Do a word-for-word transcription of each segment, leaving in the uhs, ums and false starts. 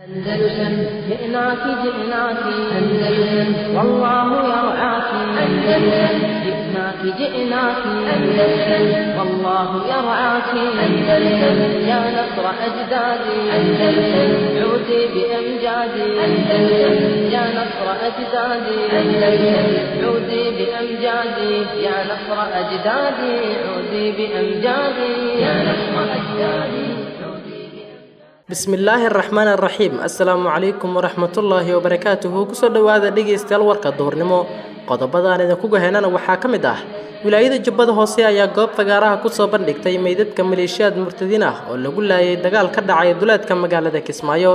أندلسن جئناك جئناك أندلسن والله يرعاك أندلسن جئناك جئناك أندلسن والله يرعاك أندلسن يا نصر أجدادي أندلسن عودي بأمجادي أندلسن يا نصر أجدادي أندلسن عودي بأمجادي يا نصر أجدادي عودي بأمجادي يا نصر أجدادي. Bismillaahi araxmaan araxiim. Assalaamu calaykum waraxmatullaahi wabarakaatuhu. Kusoo dhowaada dhegeystayaal warka duhurnimo. Qodobadaan idinku gaheynana waxaa ka mid ah wilaayada Jubbada Hoose ayaa goob fagaaraha kusoo bandhigtay meydadka maleeshiyaad murtadiin ah oo lagu laayay dagaal ka dhacay duleedka magaalada Kismaayo.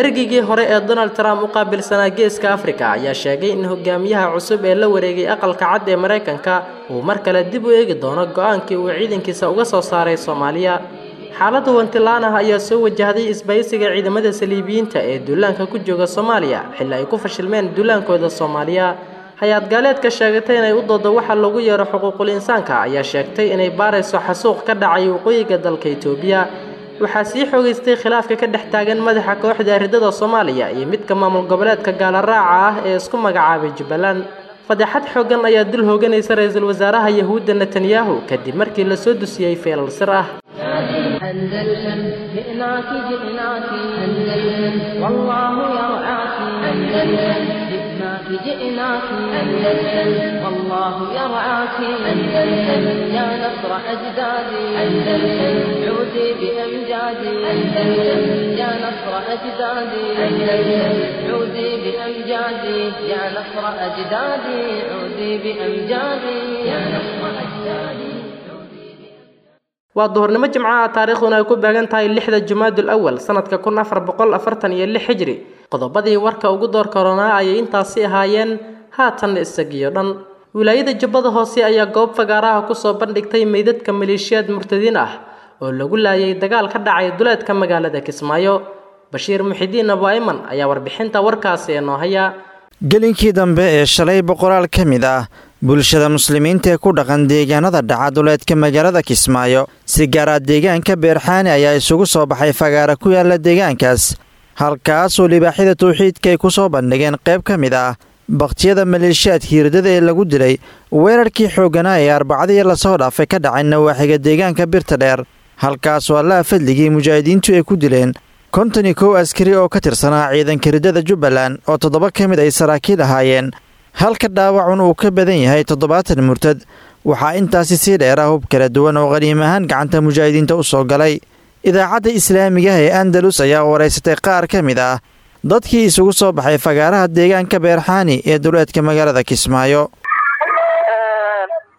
Ergeygii hore ee Donald Trump u qaabilsanaa Geeska Afrika ayaa sheegay in hogaamiyaha cusub ee la wareegay aqalka cad ee Mareykanka uu mar kale dib u eegi doono go-aankii uu ciidankiisa uga soo saaray Soomaaliya. Xaaladda wantilaan ah ayaa soo wajahday isbaysiga ciidamada saliibiyiinta ee duulaanka ku jooga Soomaaliya xilli ay ku fashilmeen duulaankooda Soomaaliya. Hay-ad gaaleedka sheegatay inay u doodo waxa lagu yeero xuquuqul insaanka ayaa sheegtay inay baarayso xasuuq ka dhacay waqooyiga dalka Itoobiya. Waxaa sii xoogeystay khilaafka ka dhex taagan madaxa kooxda ridada Soomaaliya iyo midka maamul goboleedka gaala raaca ah ee isku magacaabay Jubbaland. Fadeexad xooggan ayaa dul hooganaysa ra-iisul wasaaraha Yahuudda Netanyahu kadib markii la soo dusiyey feelal sir ah. أندلسن جئناك جئناك أندلسن والله يرعاك أندلسن جئناك جئناك أندلسن والله يرعاك أندلسن يا نصر أجدادي أندلسن عودي بأمجادي أندلسن يا نصر أجدادي أندلسن عودي بأمجادي يا نصر أجدادي عودي بأمجادي يا نصر أجدادي. Waa duhurnimo jimcaha, taariikhduna ay ku beegan tahay lixda Jumaadul Awal sanadka kun afar boqol afartan iyo lix hijri. Qodobadii warka ugu door koronaa ayay intaasi ahaayeen, haatan isagiyo dhan. Wilaayada Jubbada Hoose ayaa goob fagaaraha kusoo bandhigtay meydadka maleeshiyaad murtadiin ah oo lagu laayay dagaal ka dhacay duleedka magaalada Kismaayo. Bashiir Muxidiin Abu Ayman ayaa warbixinta warkaasi inoo haya. Gelinkii dambe ee shalay boqolaal ka mid ah bulshada muslimiinta ee ku dhaqan deegaanada dhaca duleedka magaalada Kismaayo, si gaara deegaanka Beerxaani, ayaa isugu soo baxay fagaara ku yaala deegaankaas, halkaasoo libaaxyada tawxiidka ay ku soo bandhigeen qayb ka mid ah bakhtiyada maleeshiyaadka hirdada ee lagu dilay weerarkii xoogganaa ee arbacadii lasoo dhaafay ka dhacay nawaaxiga deegaanka Birta Dheer, halkaasoo Allaha fadligii mujaahidiintu ay ku dileen konton iyo kow askari oo ka tirsanaa ciidanka riddada Jubbaland, oo toddoba ka mid ay saraakiil ahaayeen, halka dhaawacun uu ka badan yahay toddobaatan murtad. Waxaa intaasi sii dheera hub kala duwan oo qaniim ahaan gacanta mujaahidiinta u soo galay. Idaacadda islaamigaha ee Andalus ayaa wareysatay qaar ka mid ah dadkii isugu soo baxay fagaaraha deegaanka Beerxaani ee duleedka magaalada Kismaayo.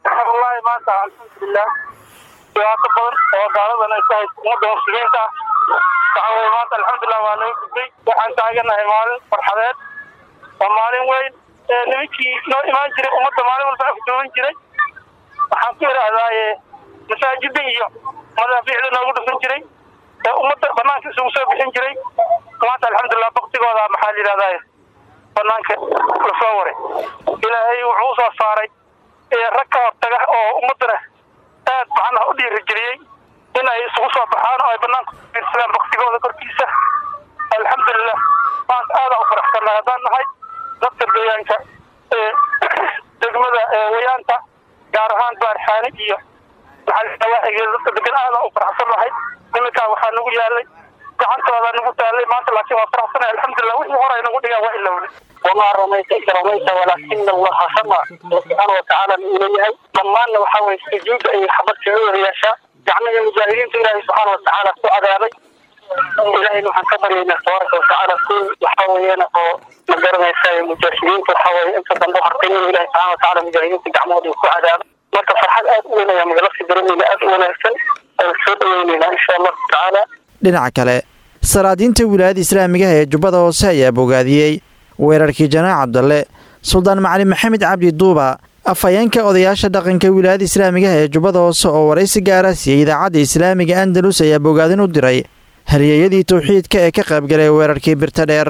Wallaahi maanta alxamdulilah, dhibaato badan oo gaaladan ay ku hayso ummadda muslimiinta ah waxa weye maanta alxamdulilah waa laga gudbay. Waxaan taaganahay maalin farxadeed, waa maalin weyn. Nimankii noo imaan jiray ummadda maalin walba afduuban jiray, waxaan ku idhaahdaaye masaajida iyo madaafiicda noogu dhufan jiray ee ummadda banaanka isugu soo bixin jiray, maanta alxamdulilah baktigooda maxaa la yidhahdaaye banaanka lasoo waray. Ilaahay wuxuu usoo saaray rag ka hortaga oo ummaddana aad macnaha u dhiirigeliyey in ay isugu soo baxaan oo ay banaanka fiirsadaan baktigooda korkiisa. Alxamdulilah maanta aadaan u faraxsannahay haddaan nahay dadka deegaanka ee degmada Wayaanta, gaar ahaan Baarxaani iyo maxaa dadka degan. Aadaan u faraxsannahay. Nimankaa waxaa nagu yaalay gacantooda nagu taalay maanta, laakiin waa faraxsanahay alxamdulilah. Wixii hore ay nagu dhigaan waa ilowday. Wamaa ramayta id ramayta walaakina Allaha rama. Alla subxaana watacaala uu leeyahay dhammaanna waxaa weye sujuudda ay xabad kaga wada yeeshaa gacmaha mujaahidiinta Ilaahay subxaana watacaala ku cadaabay. Ilaahayna waxaan ka baryaynaa tabaaraka watacaala kuwi waxaa weeyaan oo ma garanaysa mujaahidiinta waxaa weye inta dambe hartay inuu Ilahay subxaana watacaala mujaahidiinta gacmahooda ku cadaabay. Marka farxad aad u weyn ayaa magala dareemayna, aad u wanaagsan aan soo dhaweynaynaa insha Allahu tacaala. Dhinaca kale, salaadiinta wilaayada islaamigaha ee Jubbada Hoose ayaa bogaadiyey weerarkii Janaac Cabdalle. Suldaan Macalin Maxamed Cabdi Duuba, afhayeenka odayaasha dhaqanka wilaayada islaamigaha ee Jubbada Hoose, oo waraysi gaara siiyey idaacadda islaamiga Andalus, ayaa bogaadin u diray halyeeyadii tawxiidka ee ka qaybgalay weerarkii Birta Dheer.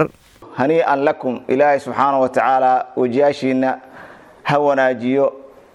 Hanii'an lakum. Ilaahay subxaana wa tacaala wejiyaashiinna ha wanaajiyo.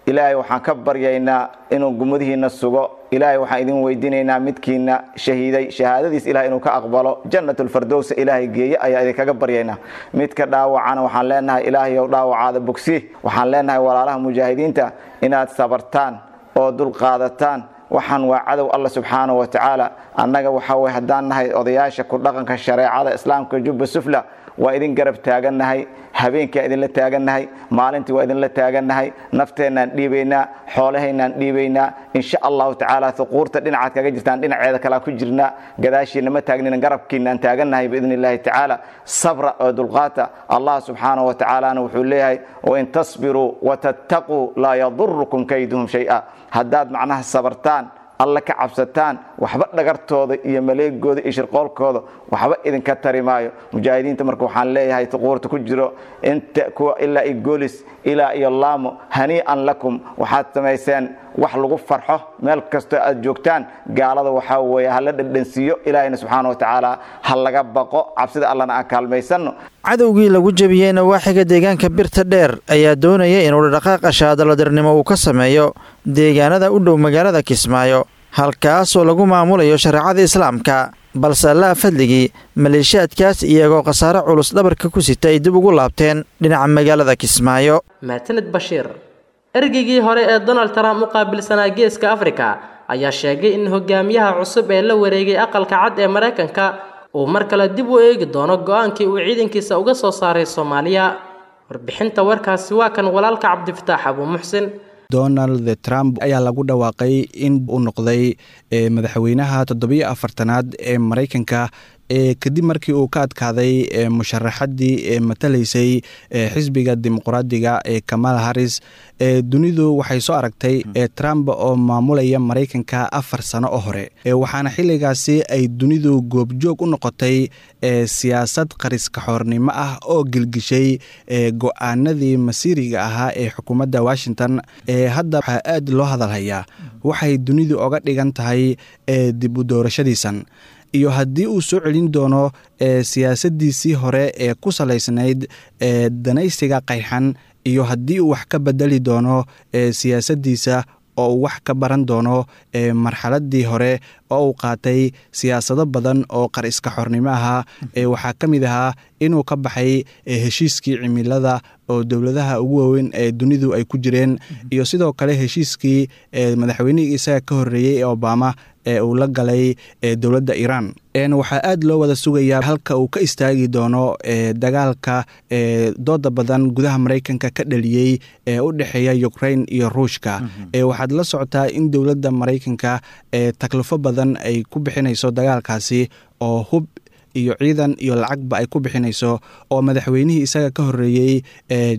Ilaahay waxaan ka baryaynaa inuu gumadihiina sugo. Ilaahay waxaan idin weydiinaynaa midkiina shahiiday shahaadadiis ilahay inuu ka aqbalo, jannatulfardows ilaahay geeye ayaa idinkaga baryaynaa. Midka dhaawacana waxaan leenahay ilaahayow dhaawacaada bogsi. Waxaan leenahay walaalaha mujaahidiinta inaad sabartaan oo dulqaadataan. Waxaan waa cadow Alla subxaanahu wa tacaala. Annaga waxaa way haddaan nahay odayaasha ku dhaqanka shareecada islaamka Jubba Sufla, waa idin garab taagannahay, habeenkaa idinla taagannahay, maalintii waa idinla taagannahay, nafteennaan dhiibaynaa, xoolahaynaan dhiibaynaa, insha allahu tacaala. Huquurta dhinacaad kaga jirtaan dhinaceeda kalaa ku jirnaa, gadaashiina ma taagnina, garabkiinaan taagannahay biidni illaahi tacaala. Sabra oo dulqaata. Allah subxaanahu wa tacaalana wuxuu leeyahay: wain tasbiruu watattaquu laa yadurukum kayduhum shay-a. Haddaad macnaha sabartaan, Alla ka cabsataan, waxba dhagartooda iyo maleegooda iyo shirqoolkooda waxba idinka tari maayo. Mujaahidiinta marka waxaan leeyahay tuquurta ku jiro inta kuwa ilaa iyo Goolis ilaa iyo Laamo, hanii'an lakum, waxaad samayseen wax lagu farxo. Meel kastoo aad joogtaan gaalada waxaa weeye hala dhadhansiiyo. Ilaahayna subxaana wa tacaala ha laga baqo, cabsida Allana aan kaalmaysanno. Cadowgii lagu jebiyey nawaaxiga deegaanka Birta Dheer ayaa doonaya inuu dhaqaaqa shaadaladirnimo uu ka sameeyo deegaanada u dhow magaalada Kismaayo, halkaasoo lagu maamulayo shareecada islaamka, balse Allaha fadligii maleeshiyaadkaas iyagoo khasaare culus dhabarka ku sita ay dib ugu laabteen dhinaca magaalada Kismaayo. Maatanid Bashiir. Ergeygii hore ee Donald Trump u qaabilsanaa Geeska Afrika ayaa sheegay in hogaamiyaha cusub ee la wareegay Aqalka Cad ee Maraykanka uu mar kale dib u eegi doono go-aankii uu ciidankiisa uga soo saaray Soomaaliya. Warbixinta warkaasi waa kan walaalka Cabdifataax Abuu Muxsin. Donald Trump ayaa lagu dhawaaqay in uu noqday madaxweynaha toddobiyo afartanaad ee Maraykanka, kadib markii uu ka adkaaday musharaxaddii ee matalaysay xisbiga Dimuqraadiga ee Kamala Harris. Dunidu waxay soo aragtay Trump oo maamulaya Maraykanka afar sano oo hore, waxaana xilligaasi ay dunidu goobjoog u noqotay siyaasad qariska xoornimo ah oo gilgishay go-aanadii masiiriga ahaa ee xukuumadda Washington. Hadda waxaa aad loo hadalhayaa waxay dunidu oga dhigan tahay dib u doorashadiisan iyo haddii uu soo celin doono siyaasadiisii hore ee ku salaysnayd danaysiga qayxan, iyo haddii uu wax ka bedeli doono siyaasadiisa oo uu wax ka baran doono marxaladii hore oo uu qaatay siyaasado badan oo qar iska xornimo ahaa. Waxaa ka mid ahaa inuu ka baxay heshiiskii cimilada oo dowladaha ugu waaweyn ee dunidu ay ku jireen, iyo sidoo kale heshiiskii madaxweynihii isaga ka horreeyey ee Obama ee uu la galay dowladda Iiraan. Waxaa aad loo wada sugayaa halka uu ka istaagi doono dagaalka dooda badan gudaha Maraykanka ka dhaliyey ee u dhexeeya Ukraine iyo Ruushka. Waxaad la socotaa in dowladda Maraykanka taklifo badan ay ku bixinayso dagaalkaasi, oo hub iyo ciidan iyo lacagba ay ku bixinayso, oo madaxweynihii isaga ka horreeyey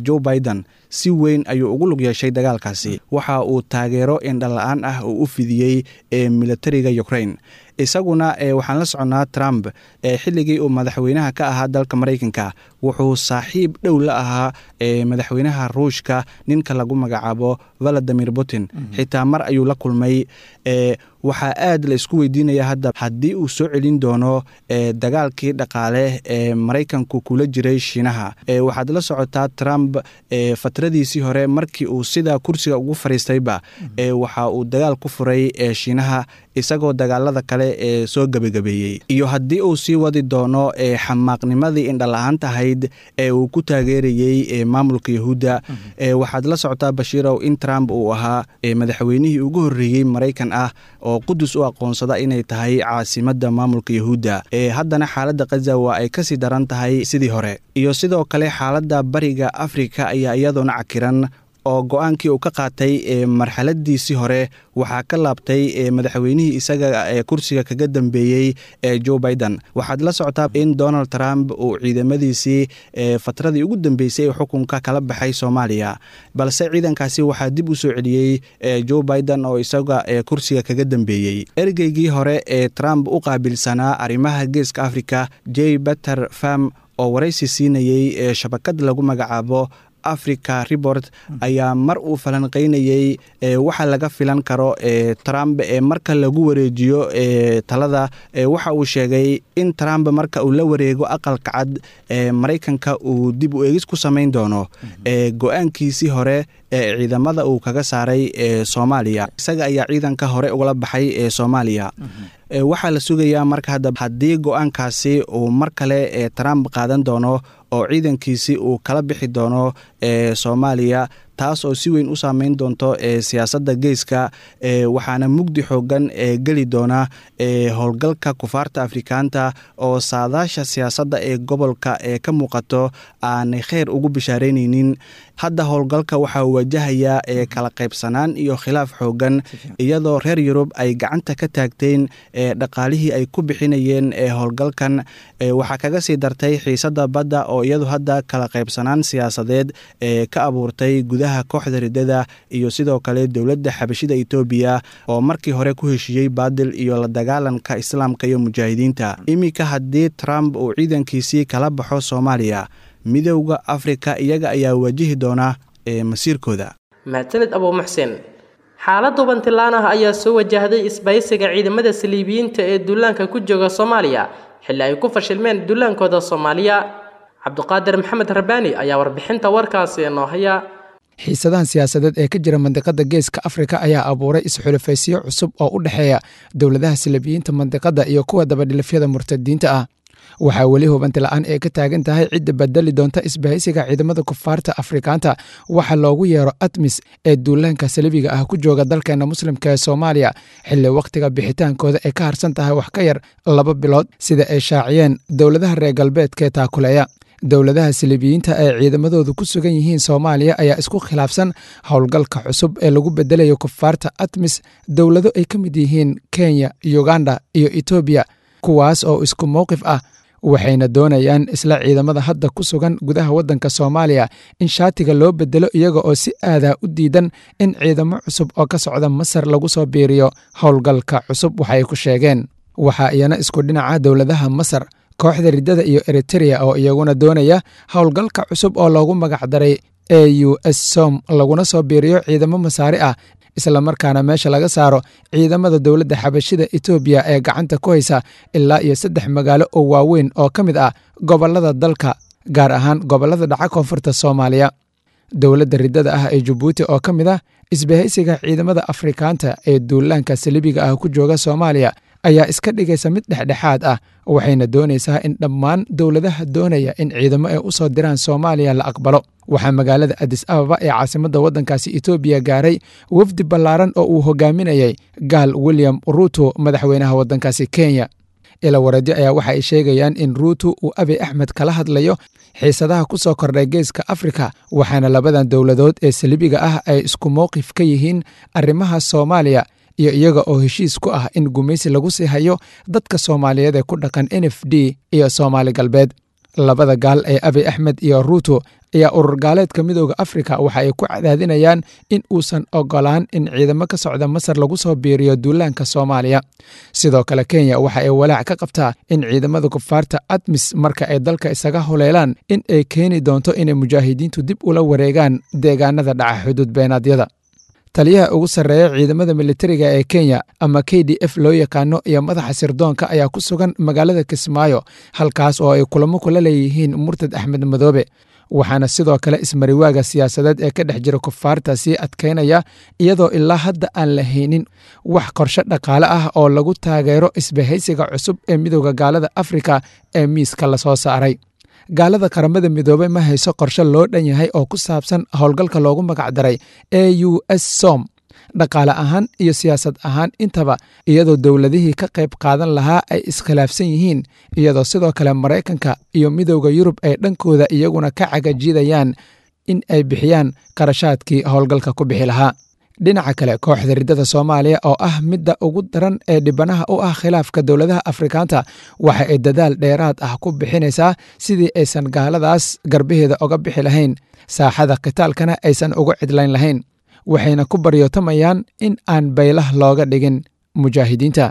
Joe Biden si weyn ayuu ugu lug yeeshay dagaalkaasi. Waxa uu taageero indhala-aan ah uu u fidiyey militariga Ukraine. Isaguna waxaan la soconnaa Trump xilligii uu madaxweynaha ka ahaa dalka Maraykanka wuxuu saaxiib dhow la ahaa madaxweynaha Ruushka, ninka lagu magacaabo Valadimir Putin, xitaa mar ayuu la kulmay. Waxaa aad la isku weydiinaya hadda haddii uu soo celin doono dagaalkii dhaqaale ee Maraykanku kula jiray Shiinaha. Waxaad la socotaa Trump fatradiisii hore markii uu sidaa kursiga ugu fariistayba waxa uu dagaal ku furay Shiinaha, isagoo dagaalada kale ee soo gebagabeeyey, iyo haddii uu sii wadi doono xamaaqnimadii indhala-aanta ahayd ee uu ku taageerayey maamulka Yahuudda. Waxaad la socotaa, Bashiirow, in Trump uu ahaa madaxweynihii ugu horreeyey Maraykan ah oo Qudus u aqoonsada inay tahay caasimadda maamulka Yahuudda. Haddana xaaladda Khaza waa ay kasii daran tahay sidii hore, iyo sidoo kale xaaladda Bariga Afrika ayaa iyadoona cakiran, oo go-aankii uu ka qaatay marxaladiisii hore waxaa ka laabtay madaxweynihii isaga ee kursiga kaga dambeeyey ee Joe Biden. Waxaad la socotaa in Donald Trump uu ciidamadiisii fatradii ugu dambeysay ee xukunka kala baxay Soomaaliya, balse ciidankaasi waxaa dib u soo celiyey Joe Biden oo isaga kursiga kaga dambeeyey. Ergeygii hore ee Trump u qaabilsanaa arrimaha Geeska Africa, J Peter Pham, oo waraysi siinayey shabakad lagu magacaabo Africa Report ayaa mar uu falanqeynayey waxa laga filan karo Trump ee marka lagu wareejiyo talada, waxa uu sheegay in Trump marka uu la wareego aqalka cad ee Maraykanka uu dib u eegis ku samayn doono go-aankiisii hore ee ciidamada uu kaga saaray ee Soomaaliya. Isaga ayaa ciidanka hore ugala baxay ee Soomaaliya. Waxaa la sugayaa marka hadda haddii go-aankaasi uu mar kale ee Trump qaadan doono oo ciidankiisi uu kala bixi doono ee Soomaaliya, taas oo si weyn u saameyn doonto ee siyaasadda geeska, ee waxaana mugdi xoogan ee geli doona ee howlgalka kufaarta Afrikaanta oo saadaasha siyaasadda ee gobolka ee ka muuqato aanay kheyr ugu bishaaraynaynin. Hadda howlgalka waxaa wajahayaa ee kala qaybsanaan iyo khilaaf xoogan, iyadoo reer Yurub ay gacanta ka taagteen ee dhaqaalihii ay ku bixinayeen ee howlgalkan. Waxaa kaga sii dartay xiisadda badda oo iyadu hadda kala qaybsanaan siyaasadeed ee ka abuurtay gudaha kooxda riddada iyo sidoo kale dowladda xabashida Itoobiya oo markii hore ku heshiiyey baadil iyo la dagaalanka islaamka iyo mujaahidiinta. Iminka haddii Trump uu ciidankiisii kala baxo Soomaaliya, Midowda Afrika iyaga ayaa wajihi doona ee masiirkooda. Mahadsanid Abuu Muxsin. Xaalad hubantilaan ah ayaa soo wajahday isbaysiga ciidamada saliibiyiinta ee duulaanka ku jooga Soomaaliya xilli ay ku fashilmeen duulaankooda Soomaaliya. Cabduqaadir Maxamed Rabbaani ayaa warbixinta warkaasi inoo haya. Xiisadahan siyaasadeed ee ka jira mandiqada geeska Afrika ayaa abuuray isxulufaysiyo cusub oo u dhexeeya dowladaha saliibiyiinta mandiqada iyo kuwa dabadhilifyada murtadiinta ah. Waxaa weli hubanti la'aan ee ka taagan tahay cidda bedeli doonta isbahaysiga ciidamada kufaarta Afrikaanta waxa loogu yeero ATMIS ee duulaanka saliibiga ah ku jooga dalkeena muslimka ee Soomaaliya, xilli wakhtiga bixitaankooda ay ka harsan tahay wax ka yar laba bilood sida ay shaaciyeen dowladaha reer galbeedka ee taakuleeya. Dowladaha saliibiyiinta ee ciidamadoodu ku sugan yihiin Soomaaliya ayaa isku khilaafsan howlgalka cusub ee lagu bedelayo kufaarta ATMIS dowlado ay ka mid yihiin Kenya, Uganda iyo Itoobiya, kuwaas oo isku mowqif ah, waxayna doonayaan isla ciidamada hadda ku sugan gudaha waddanka Soomaaliya in shaatiga loo bedelo, iyaga oo si aadaa u diidan in ciidamo cusub oo ka socda Masar lagu soo biiriyo howlgalka cusub. Waxay ku sheegeen waxaa iyana isku dhinaca dowladaha Masar, kooxda riddada iyo Eritrea oo iyaguna doonaya howlgalka cusub oo loogu magacdaray A U S SOM laguna soo biiriyo ciidamo masaari ah, islamarkaana meesha laga saaro ciidamada dowladda xabashida Itoobiya ee gacanta ku haysa ilaa iyo saddex magaalo oo waaweyn oo ka mid ah gobollada dalka, gaar ahaan gobollada dhaca koonfurta Soomaaliya. Dowladda riddada ah ee Jabuuti oo ka mid ah isbahaysiga ciidamada Afrikaanta ee duulaanka saliibiga ah ku jooga Soomaaliya ayaa iska dhigaysa mid dhexdhexaad ah, waxayna doonaysaa in dhammaan dowladaha doonaya in ciidamo ay u soo diraan Soomaaliya la aqbalo. Waxaa magaalada Addis Ababa ee caasimadda waddankaasi Itoobiya gaaray wafdi ballaaran oo uu hogaaminayay gaal William Ruto, madaxweynaha waddankaasi Kenya. Ila wareedyo ayaa waxa ay sheegayaan in Ruto uu Abiy Axmed kala hadlayo xiisadaha ku soo kordhay geeska Afrika, waxaana labadan dowladood ee saliibiga ah ay isku mowqif ka yihiin arrimaha Soomaaliya iyo iyaga oo heshiis ku ah in gumaysi lagu sii hayo dadka Soomaaliyeed ee ku dhaqan N F D iyo Soomaali Galbeed. Labada gaal ee Abiy Axmed iyo Ruto ayaa urur gaaleedka Midowda Afrika waxa ay ku cadaadinayaan in uusan ogolaan in ciidamo ka socda Masar lagu soo biiriyo duulaanka Soomaaliya. Sidoo kale Kenya waxa ay walaac ka qabtaa in ciidamada kufaarta ATMIS marka ay dalka isaga huleelaan in ay keeni doonto inay mujaahidiintu dib ula wareegaan deegaanada dhaca xuduud beenaadyada. Taliyaha ugu sarreeya ciidamada militariga ee Kenya ama K D F loo yaqaano iyo madaxa sirdoonka ayaa ku sugan magaalada Kismaayo, halkaas oo ay kulamo kula leeyihiin murtad Axmed Madoobe. Waxaana sidoo kale ismariwaaga siyaasadeed ee ka dhex jira kufaarta sii adkaynaya, iyadoo ilaa hadda aan la haynin wax qorshe dhaqaale ah oo lagu taageero isbahaysiga cusub ee Midowda Gaalada Afrika ee miiska lasoo saaray. Gaalada Qaramada Midoobay ma hayso qorshe loo dhan yahay oo ku saabsan howlgalka loogu magacdaray A U S SOM, dhaqaale ahaan iyo siyaasad ahaan intaba, iyadoo dowladihii ka qayb qaadan lahaa ay iskhilaafsan yihiin, iyadoo sidoo kale Maraykanka iyo Midowda Yurub ay dhankooda iyaguna ka cagajidayaan in ay bixiyaan qarashaadkii howlgalka ku bixi lahaa. Dhinaca kale, kooxda riddada Soomaaliya oo ah midda ugu daran ee dhibanaha u ah khilaafka dowladaha Afrikaanta waxa ay dadaal dheeraad ah ku bixinaysaa sidii aysan gaaladaas garbaheeda oga bixi lahayn, saaxada qitaalkana aysan uga cidlayn lahayn, waxayna ku baryootamayaan in aan baylah looga dhigin mujaahidiinta.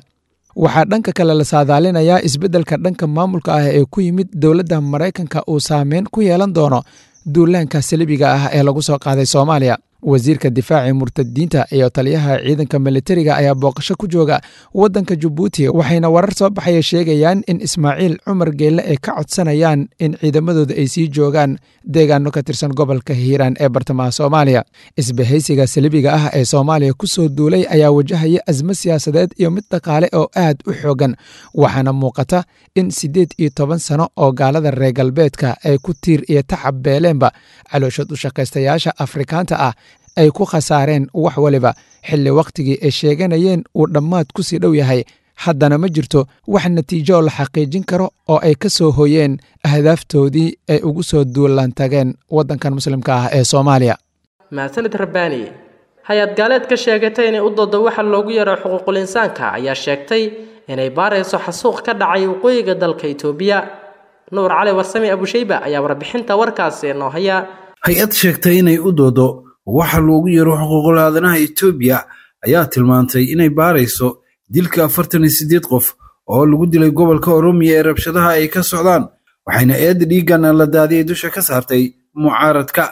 Waxaa dhanka kale la saadaalinayaa isbeddelka dhanka maamulka ah ee ku yimid dowladda Maraykanka uu saameyn ku yeelan doono duulaanka saliibiga ah ee lagu soo qaaday Soomaaliya. Wasiirka difaaca murtadiinta iyo taliyaha ciidanka militariga ayaa booqasho ku jooga waddanka Jabuuti, waxayna warar soo baxaya sheegayaan in Ismaaciil Cumar Geelle ay ka codsanayaan in ciidamadooda ay sii joogaan deegaano ka tirsan gobolka Hiiraan ee bartamaha Soomaaliya. Isbahaysiga saliibiga ah ee Soomaaliya ku soo duulay ayaa wajahaya asmo siyaasadeed iyo mid dhaqaale oo aad u xoogan, waxaana muuqata in siddeed iyo toban sano oo gaalada reer galbeedka ay ku tiir iyo tacab beeleenba calooshood u shaqaystayaasha Afrikaanta ah ay ku khasaareen wax waliba, xilli wakhtigii ay sheeganayeen uu dhammaad ku sii dhow yahay. Haddana ma jirto wax natiijo la xaqiijin karo oo ay ka soo hoyeen ahdaaftoodii ay ugu soo duulaan tageen waddankan muslimka ah ee Soomaaliya. Mahadsanid Rabbaani. Hay-ad gaaleed ka sheegatay inay u doodo waxa loogu yeero xuquuqul insaanka ayaa sheegtay inay baarayso xasuuq ka dhacay waqooyiga dalka Itoobiya. Nuur Cali Warsame Abushayba ayaa warbixinta warkaasi noo haya. Hay-ad sheegtay inay u doodo waxa loogu yeero xuquuqul aadanaha Itoobiya ayaa tilmaantay inay baarayso dilka afartan iyo siddeed qof oo lagu dilay gobolka Oromiya ee rabshadaha ay ka socdaan, waxayna eedda dhiiggan la daadiyay dusha ka saartay mucaaradka.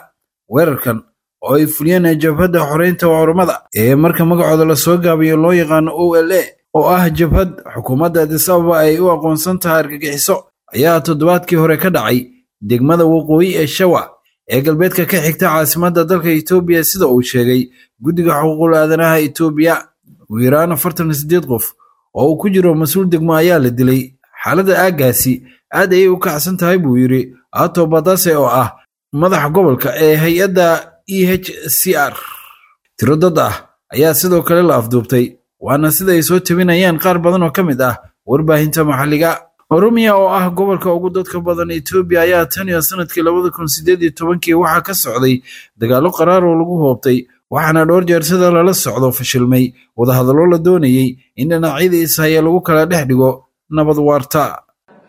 Weerarkan oo ay fuliyeen jabhadda xoreynta oromada ee marka magacooda lasoo gaabiyo loo yaqaano O L A oo ah jabhad xukuumadda Addis Ababa ay u aqoonsan tahay argagixiso, ayaa toddobaadkii hore ka dhacay degmada waqooyi ee Shawa ee galbeedka ka xigta caasimadda dalka Itoobiya, sida uu sheegay guddiga xuquuqul aadanaha Itoobiya. Ugu yaraan afartan iyo siddeed qof oo uu ku jiro mas-uul degmo ayaa la dilay. Xaaladda aaggaasi aad ayay u kacsan tahay, buu yidhi Ato Badase oo ah madaxa gobolka ee hay-adda E H C R. Tiro dad ah ayaa sidoo kale la afduubtay, waana sida ay soo tabinayaan qaar badan oo ka mid ah warbaahinta maxalliga. Oromiya oo ah gobolka ugu dadka badan Itoobiya ayaa tan iyo sanadkii labada kun siddeed iyo tobankii waxaa ka socday dagaallo qaraar oo lagu hoobtay, waxaana dhowr jeer sida lala socdo fashilmay wadahadallo la doonayey in dhinacyada ishaya lagu kala dhex dhigo nabad waarta.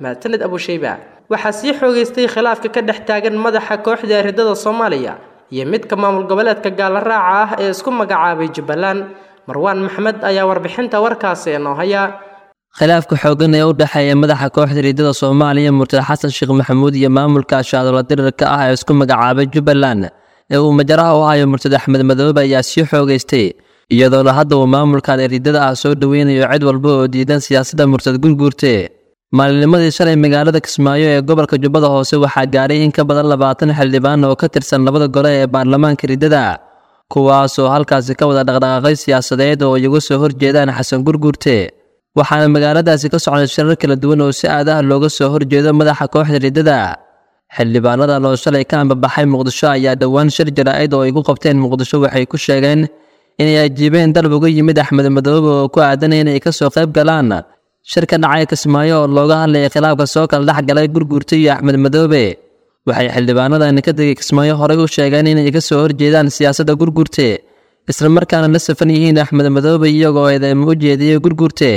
Mahadsanid Abushayba. Waxaa sii xoogaystay khilaafka ka dhex taagan madaxa kooxda ridada Soomaaliya iyo midka maamul goboleedka gaala raaca ah ee isku magacaabay Jubbaland. Marwaan Maxamed ayaa warbixinta warkaasi noo haya. Khilaafka xooggan ee u dhexeeya madaxa kooxda ridada Soomaaliya Murtad Xasan Sheekh Maxamuud iyo maamulka shaadoola dirirka ah ee isku magacaabay Jubbaland ee uu majaraha u hayo Murtad Axmed Madoobe ayaa sii xoogaystay, iyadoona hadda uu maamulkan ridada ah soo dhaweynayo cid walba oo diidan siyaasadda Murtad Gurguurte. Maalinimadii shalay magaalada Kismaayo ee gobolka Jubbada Hoose waxaa gaaray in ka badan labaatan xildhibaan oo ka tirsan labada gole ee baarlamaanka ridada, kuwaas oo halkaasi ka wada dhaqdhaqaaqay siyaasadeed oo iyagu soo horjeedaan Xasan Gurguurte. Waxaana magaaladaasi ka socday shirar kala duwan oo si aad ah looga soo horjeedo madaxa kooxda ridada. Xildhibaanadan oo shalay ka ambabaxay Muqdisho ayaa dhowaan shir jaraa'id oo ay ku qabteen Muqdisho waxay ku sheegeen inay ajiibeen dalab uga yimid Axmed Madoobe oo ku aadan inay ka soo qayb galaan shir ka dhacay Kismaayo oo looga hadlayay khilaafka soo kala dhex galay Gurguurte iyo Axmed Madoobe. Waxay xildhibaanadan ka tegay Kismaayo horey u sheegeen inay ka soo horjeedaan siyaasadda Gurguurte, isla markaana la safan yihiin Axmed Madoobe iyagoo eedeymo u jeediyey Gurguurte.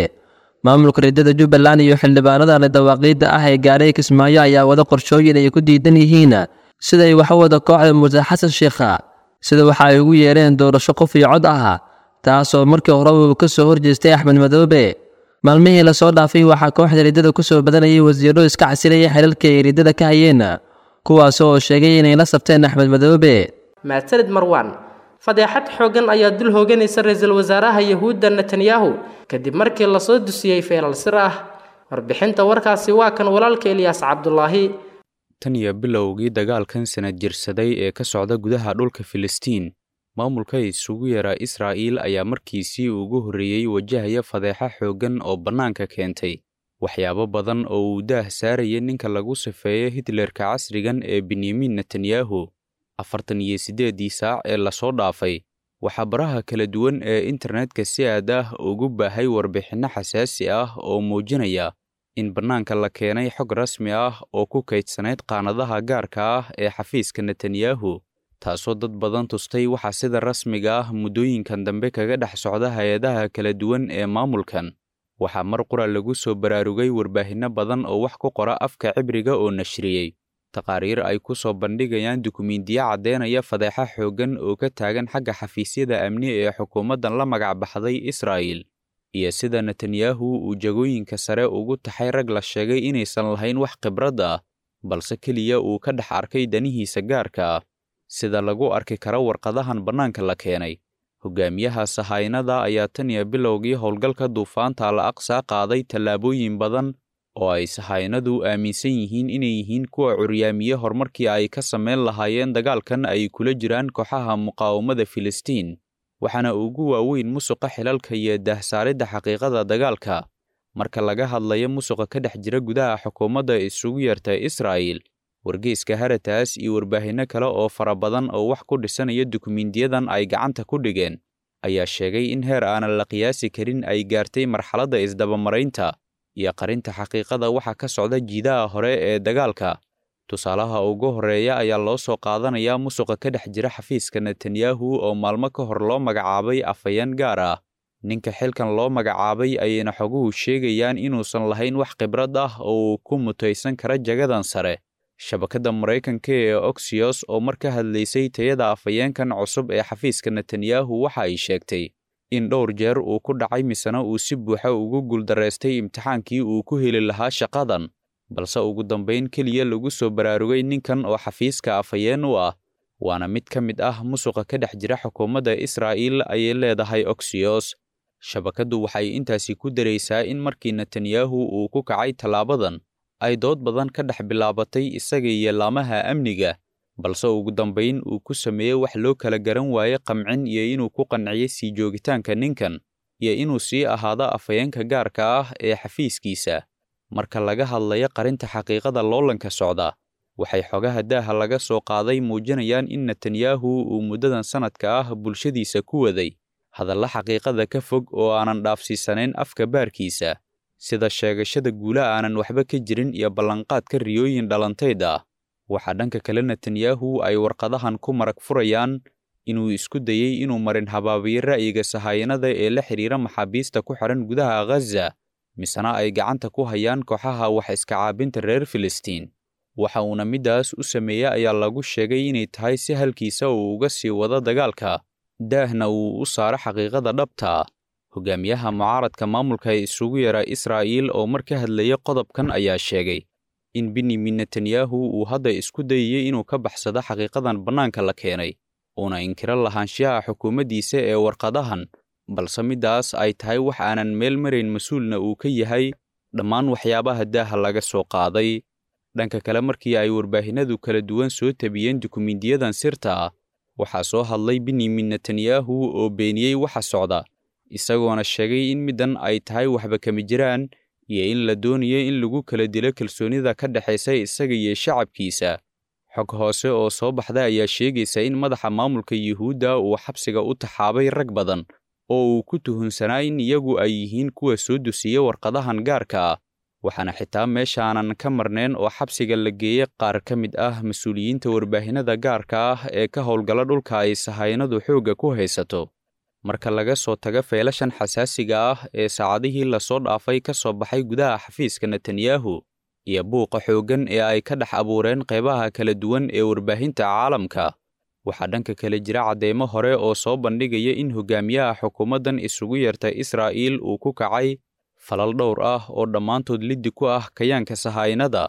Maamulka ridada Jubbaland iyo xildhibaanada dawaaqiidda ah ee gaaray Kismaayo ayaa wada qorshooyin ay ku diidan yihiin siday wax u wada kooxda Murtad Xasan Sheekha, sida waxa ay ugu yeereen doorasho qof iyo cod ah, taasoo markii hore uu ka soo horjeestay Axmed Madoobe. Maalmihii la soo dhaafay waxaa kooxda ridada ku soo badanayay wasiirro iska xasilayay xilalka ay ridada ka hayeen, kuwaas oo sheegay inay la sabteen Axmed Madoobe. Mahadsanid Marwaan. Fadeexad xooggan ayaa dul hooganaysa ra'iisul wasaaraha Yahuudda Netanyahu kadib markii la soo dusiyey feelal sir ah. Warbixinta warkaasi waa kan walaalka Ilyaas Cabdulaahi. Tan iyo bilowgii dagaalkan sanad jirsaday ee ka socda gudaha dhulka Filistiin, maamulka isugu yeera Israa'iil ayaa markiisii ugu horreeyey wajahaya fadeexa xooggan oo bannaanka keentay waxyaabo badan oo uu daah saarayay ninka lagu sifeeyo Hitlerka casrigan ee Benyamin Netanyahu. Afartan iyo siddeeddii saac ee lasoo dhaafay waxaa baraha kala duwan ee internetka si aad ah ugu baahay warbixinno xasaasi ah oo muujinaya in bannaanka la keenay xog rasmi ah oo ku kaydsanayd qaanadaha gaarka ah ee xafiiska Netanyahu, taasoo dad badan tustay waxaa sida rasmiga ah muddooyinkan dambe kaga dhex socda hay-adaha kala duwan ee maamulkan. Waxaa mar qura lagu soo baraarugay warbaahinno badan oo wax ku qora afka cibriga oo nashriyey taqaariir ay ku soo bandhigayaan dukumiintiyo caddeynaya fadeexa xooggan oo ka taagan xagga xafiisyada amni ee xukuumaddan la magac baxday Israa'iil, iyo sida Netanyahu uu jagooyinka sare ugu taxay rag la sheegay inaysan lahayn wax khibrad ah, balse keliya uu ka dhex arkay danihiisa gaarka ah. Sida lagu arki karo warqadahan bannaanka la keenay, hogaamiyaha sahaynada ayaa tan iyo bilowgii howlgalka duufaanta al aqsa qaaday tallaabooyin badan oo ay sahaynadu aaminsan yihiin inay yihiin kuwa curyaamiye horumarkii ay ka samayn lahaayeen dagaalkan ay kula jiraan kooxaha muqaawamada Filistiin, waxaana ugu waaweyn musuqa xilalka iyo daahsaaridda xaqiiqada dagaalka. Marka laga hadlayo musuqa ka dhex jira gudaha xukuumadda isugu yeerta Israa'iil, wargeyska Haratas iyo warbaahinno kale oo fara badan oo wax ku dhisanaya dukumiintiyadan ay gacanta ku dhigeen ayaa sheegay in heer aanan la qiyaasi karin ay gaartay marxaladda isdabamaraynta iyo qarinta xaqiiqada waxa ka socda jiidaha hore ee dagaalka. Tusaalaha ugu horreeya ayaa loo soo qaadanayaa musuqa ka dhex jira xafiiska Netanyahu oo maalmo ka hor loo magacaabay afhayeen gaar ah. Ninka xilkan loo magacaabay ayayna xoguhu sheegayaan inuusan lahayn wax khibrad ah oo uu ku mutaysan kara jagadan sare. Shabakadda Maraykanka ee Axios oo mar ka hadlaysay tayada afhayeenkan cusub ee xafiiska Netanyahu waxa ay sheegtay in dhowr jeer uu ku dhacay misena uu si buuxa ugu guuldareystay imtixaankii uu ku heli lahaa shaqadan, balse ugu dambayn keliya lagu soo baraarugay ninkan oo xafiiska afhayeen u ah, waana mid ka mid ah musuqa ka dhex jira xukuumadda Israa'iil, ayay leedahay Axios. Shabakaddu waxay intaasi ku daraysaa in markii Netanyahu uu ku kacay tallaabadan ay dood badan ka dhex bilaabatay isaga iyo laamaha amniga, balse ugu dambayn uu ku sameeyey wax loo kala garan waaye qamcin iyo inuu ku qanciyey sii joogitaanka ninkan iyo inuu sii ahaado afhayeenka gaarka ah ee xafiiskiisa. Marka laga hadlayo qarinta xaqiiqada loolanka socda, waxay xogaha daaha laga soo qaaday muujinayaan in Netanyahu uu muddadan sanadka ah bulshadiisa ku waday hadalla xaqiiqada ka fog oo aanan dhaafsiisanayn afka baarkiisa, sida sheegashada guula aanan waxba ka jirin iyo ballanqaadka riyooyin dhalantayd ah. Waxaa dhanka kale Netanyahu ay warqadahan ku marag furayaan inuu isku dayey inuu marin habaabiyo ra'yiga sahayanada ee la xiriira maxaabiista ku xiran gudaha Ghaza, misena ay gacanta ku hayaan kooxaha wax iska caabinta reer Filistiin. Waxa uuna middaas u sameeyey ayaa lagu sheegay inay tahay si halkiisa uu uga sii wado dagaalka, daahna uu u saaro xaqiiqada dhabta ah. Hogaamiyaha mucaaradka maamulka ee isugu yeera Israa'iil oo mar ka hadlayay qodobkan ayaa sheegay in Benjamin Netanyahu uu hadda isku dayayay inuu ka baxsado xaqiiqadan bannaanka la keenay, uuna inkiro lahaanshiyaha xukuumaddiisa ee warqadahan, balse middaas ay tahay wax aanan meel marayn mas-uulna uu ka yahay dhammaan waxyaabaha daaha laga soo qaaday. Dhanka kale, markii ay warbaahinadu kala duwan soo tabiyeen dukumiintiyadan sirta ah, waxaa soo hadlay Benjamin Netanyahu oo beeniyey waxa socda, isagoona sheegay in middan ay tahay waxba kama jiraan iyo in la doonayo in lagu kala dilo kalsoonida ka dhexaysa isaga iyo shacabkiisa. Xog hoose oo soo baxda ayaa sheegaysa in madaxa maamulka Yuhuudda uu xabsiga u taxaabay rag badan oo uu ku tuhunsanaa in iyagu ay yihiin kuwa soo dusiya warqadahan gaarka ah, waxaana xitaa meeshaanan ka marnayn oo xabsiga la geeyey qaar ka mid ah mas-uuliyiinta warbaahinada gaarka ah ee ka howlgala dhulka ay sahayanadu xoogga ku haysato. Marka laga soo tago feelashan xasaasiga ah ee saacadihii lasoo dhaafay ka soo baxay gudaha xafiiska Netanyahu iyo buuqa xooggan ee ay ka dhex abuureen qaybaha kala duwan ee warbaahinta caalamka, waxaa dhanka kale jira cadeymo hore oo soo bandhigaya in hogaamiyaha xukuumaddan isugu yeerta Israa'iil uu ku kacay falal dhowr ah oo dhammaantood liddi ku ah kayaanka sahaynada.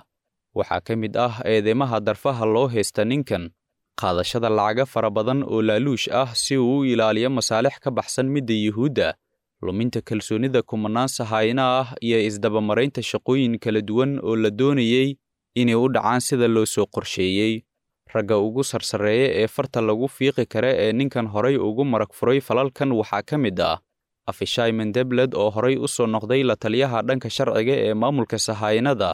Waxaa ka mid ah eedeymaha darfaha loo haysta ninkan, qaadashada lacaga fara badan oo laaluush ah si uu u ilaaliyo masaalix ka baxsan midda Yuhuudda, luminta kalsoonida kumanaan sahayna ah iyo isdabamaraynta shaqooyin kala duwan oo la doonayay inay u dhacaan sida loo soo qorsheeyey. Ragga ugu sarsareeya ee farta lagu fiiqi kara ee ninkan horay ugu marag furay falalkan waxaa ka mid ah Afishai Mendebled oo horay u soo noqday la taliyaha dhanka sharciga ee maamulka sahaynada.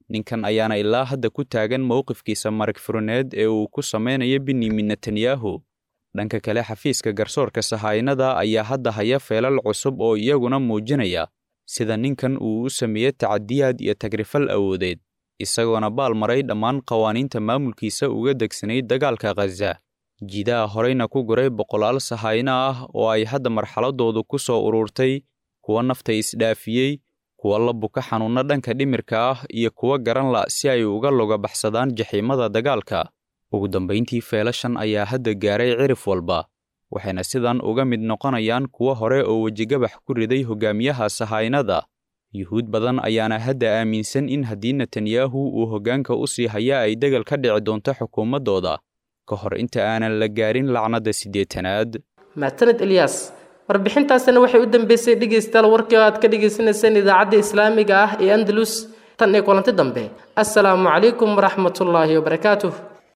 Ninkan ayaana ilaa hadda ku taagan mowqifkiisa marag furineed ee uu ku sameynayo Benjamin Netanyahu. Dhanka kale, xafiiska garsoorka sahaynada ayaa hadda haya feelal cusub oo iyaguna muujinaya sida ninkan uu u sameeyey tacadiyaad iyo tagrifal awoodeed, isagoona baal maray dhammaan qawaaniinta maamulkiisa uga degsanayd dagaalka Ghaza, jiidaha horeyna ku guray boqolaal sahayna ah oo ay hadda marxaladoodu ku soo ururtay kuwa nafta isdhaafiyey, kuwa la buka xanuunno dhanka dhimirka ah iyo kuwa garan la si ay uga loga baxsadaan jaxiimada dagaalka. Ugu dambayntii, feelashan ayaa hadda gaaray cirif walba, waxayna sidan uga mid noqonayaan kuwa hore oo wejigabax ku riday hogaamiyaha sahaynada, Yuhuud badan ayaana hadda aaminsan in haddii Netanyahu uu hoggaanka u sii haya ay dagal ka dhici doonto xukuumaddooda ka hor inta aanan la gaarin lacnadda siddeetanaad. Maataned Eliyas, warbixintaasina waxay u dambeysay dhegaystayaal warkii oo aad ka dhagaysanayseen idaacadda islaamiga ah ee Andalus. Tan iyo kulanti dambe, assalaamu calaykum waraxmatullaahi wabarakaatuh.